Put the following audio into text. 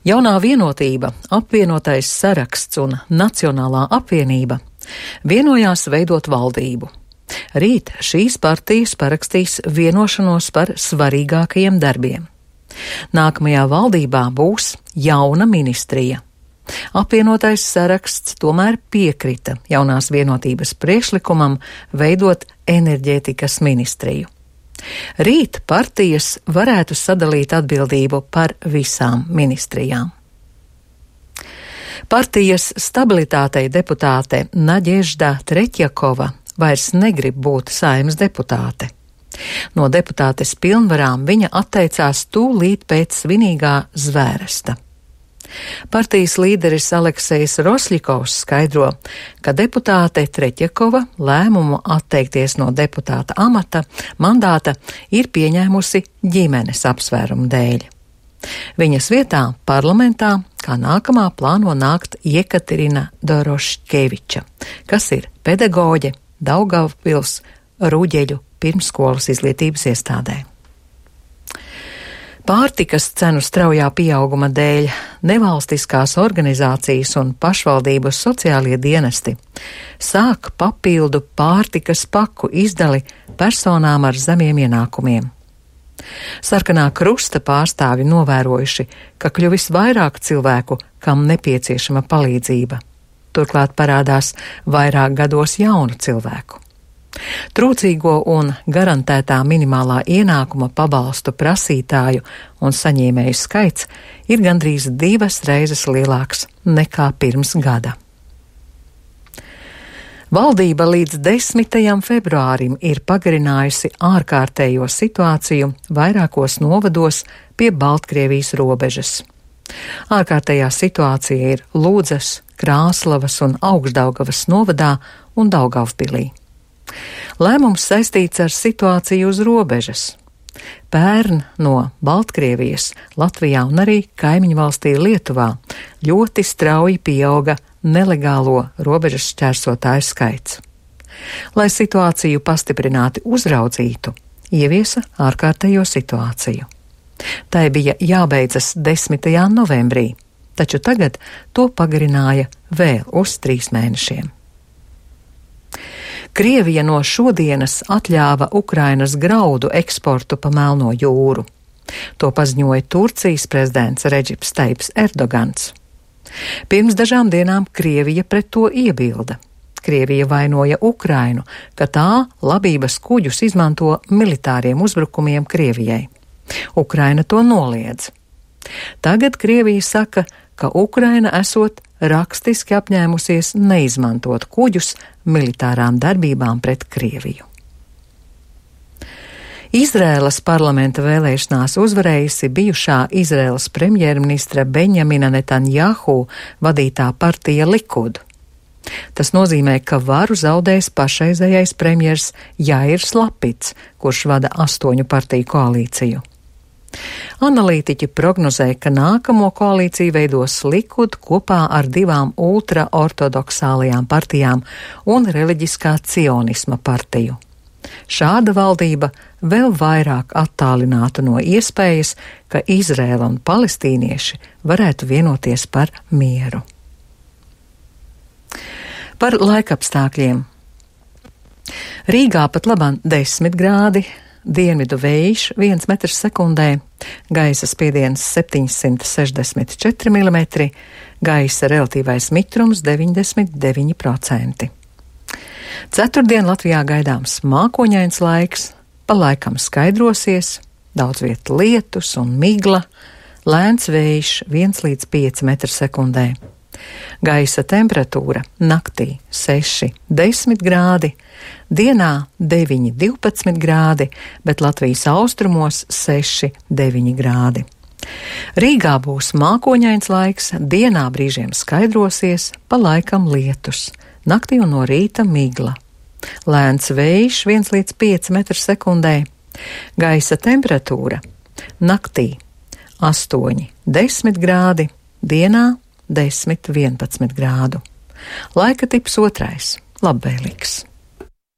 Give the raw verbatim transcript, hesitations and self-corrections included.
Jaunā vienotība, apvienotais saraksts un Nacionālā apvienība vienojās veidot valdību. Rīt šīs partijas parakstīs vienošanos par svarīgākajiem darbiem. Nākamajā valdībā būs jauna ministrija. Apvienotais saraksts tomēr piekrita jaunās vienotības priekšlikumam veidot enerģētikas ministriju. Rīt partijas varētu sadalīt atbildību par visām ministrijām. Partijas stabilitātei deputāte Naģežda Treķjakova vairs negrib būt Saeimas deputāte. No deputātes pilnvarām viņa atteicās tūlīt pēc svinīgā zvēresta. Partijas līderis Aleksejs Rosļikovs skaidro, ka deputāte Treķjakova lēmumu atteikties no deputāta amata mandāta ir pieņēmusi ģimenes apsvērumu dēļ. Viņas vietā parlamentā kā nākamā plāno nākt Jekaterina Doroškeviča, kas ir pedagoģe Daugavpils Rūģeļu pirmsskolas izglītības iestādē. Pārtikas cenu straujā pieauguma dēļ nevalstiskās organizācijas un pašvaldību sociālie dienesti sāk papildu pārtikas paku izdali personām ar zemiem ienākumiem. Sarkanā krusta pārstāvi novērojuši, ka kļuvis vairāk cilvēku, kam nepieciešama palīdzība. Turklāt parādās vairāk gados jaunu cilvēku. Trūcīgo un garantētā minimālā ienākuma pabalstu prasītāju un saņēmēju skaits ir gandrīz divas reizes lielāks nekā pirms gada. Valdība līdz desmitajam februārim ir pagarinājusi ārkārtējo situāciju vairākos novados pie Baltkrievijas robežas. Ārkārtējā situācija ir Lūdzas, Krāslavas un Augšdaugavas novadā un Daugavpilī. Lēmums saistīts ar situāciju uz robežas. Pērn no Baltkrievijas, Latvijā un arī kaimiņu valstī Lietuvā ļoti strauji pieauga nelegālo robežas šķērsotāju skaits. Lai situāciju pastiprināti uzraudzītu, ieviesa ārkārtējo situāciju. Tai bija jābeidzas desmitajā novembrī, taču tagad to pagarināja vēl uz trīs mēnešiem. Krievija no šodienas atļāva Ukrainas graudu eksportu pa Melno jūru. To paziņoja Turcijas prezidents Redžips Taips Erdogans. Pirms dažām dienām Krievija pret to iebilda. Krievija vainoja Ukrainu, ka tā labības kuģus izmanto militāriem uzbrukumiem Krievijai. Ukraina to noliedz. Tagad Krievija saka, ka Ukraina esot rakstiski apņēmusies neizmantot kuģus militārām darbībām pret Krieviju. Izraēlas parlamenta vēlēšanās uzvarējusi bijušā Izraēlas premjerministra Benjamina Netanjahu vadītā partija Likud. Tas nozīmē, ka varu zaudēs pašreizējais premjers Jairs Lapits, kurš vada astoņu partiju koalīciju. Analītiķi prognozē, ka nākamo koalīciju veidos Likud kopā ar divām ultraortodoksālajām partijām un reliģiskā cionisma partiju. Šāda valdība vēl vairāk attālinātu no iespējas, ka Izraēla un palestīnieši varētu vienoties par mieru. Par laikapstākļiem. Rīgā pat labāk desmit grādi, dienvidu vējš viens metrs sekundē, gaisa spiediens septiņsimt sešdesmit četri milimetri, gaisa relatīvais mitrums deviņdesmit deviņi procenti. Ceturtdien Latvijā gaidāms mākoņains laiks, pa laikam skaidrosies, daudz viet lietus un migla, lēns vējš viens līdz pieci metri sekundē. Gaisa temperatūra naktī seši desmit grādi, dienā deviņi divpadsmit grādi, bet Latvijas austrumos seši deviņi grādi. Rīgā būs mākoņains laiks, dienā brīžiem skaidrosies, pa laikam lietus, naktī un no rīta migla. Lēns vējš viens līdz pieci metri sekundē, gaisa temperatūra naktī astoņi desmit grādi, dienā desmit vienpadsmit grādu. Laika tips otrais - labvēlīgs.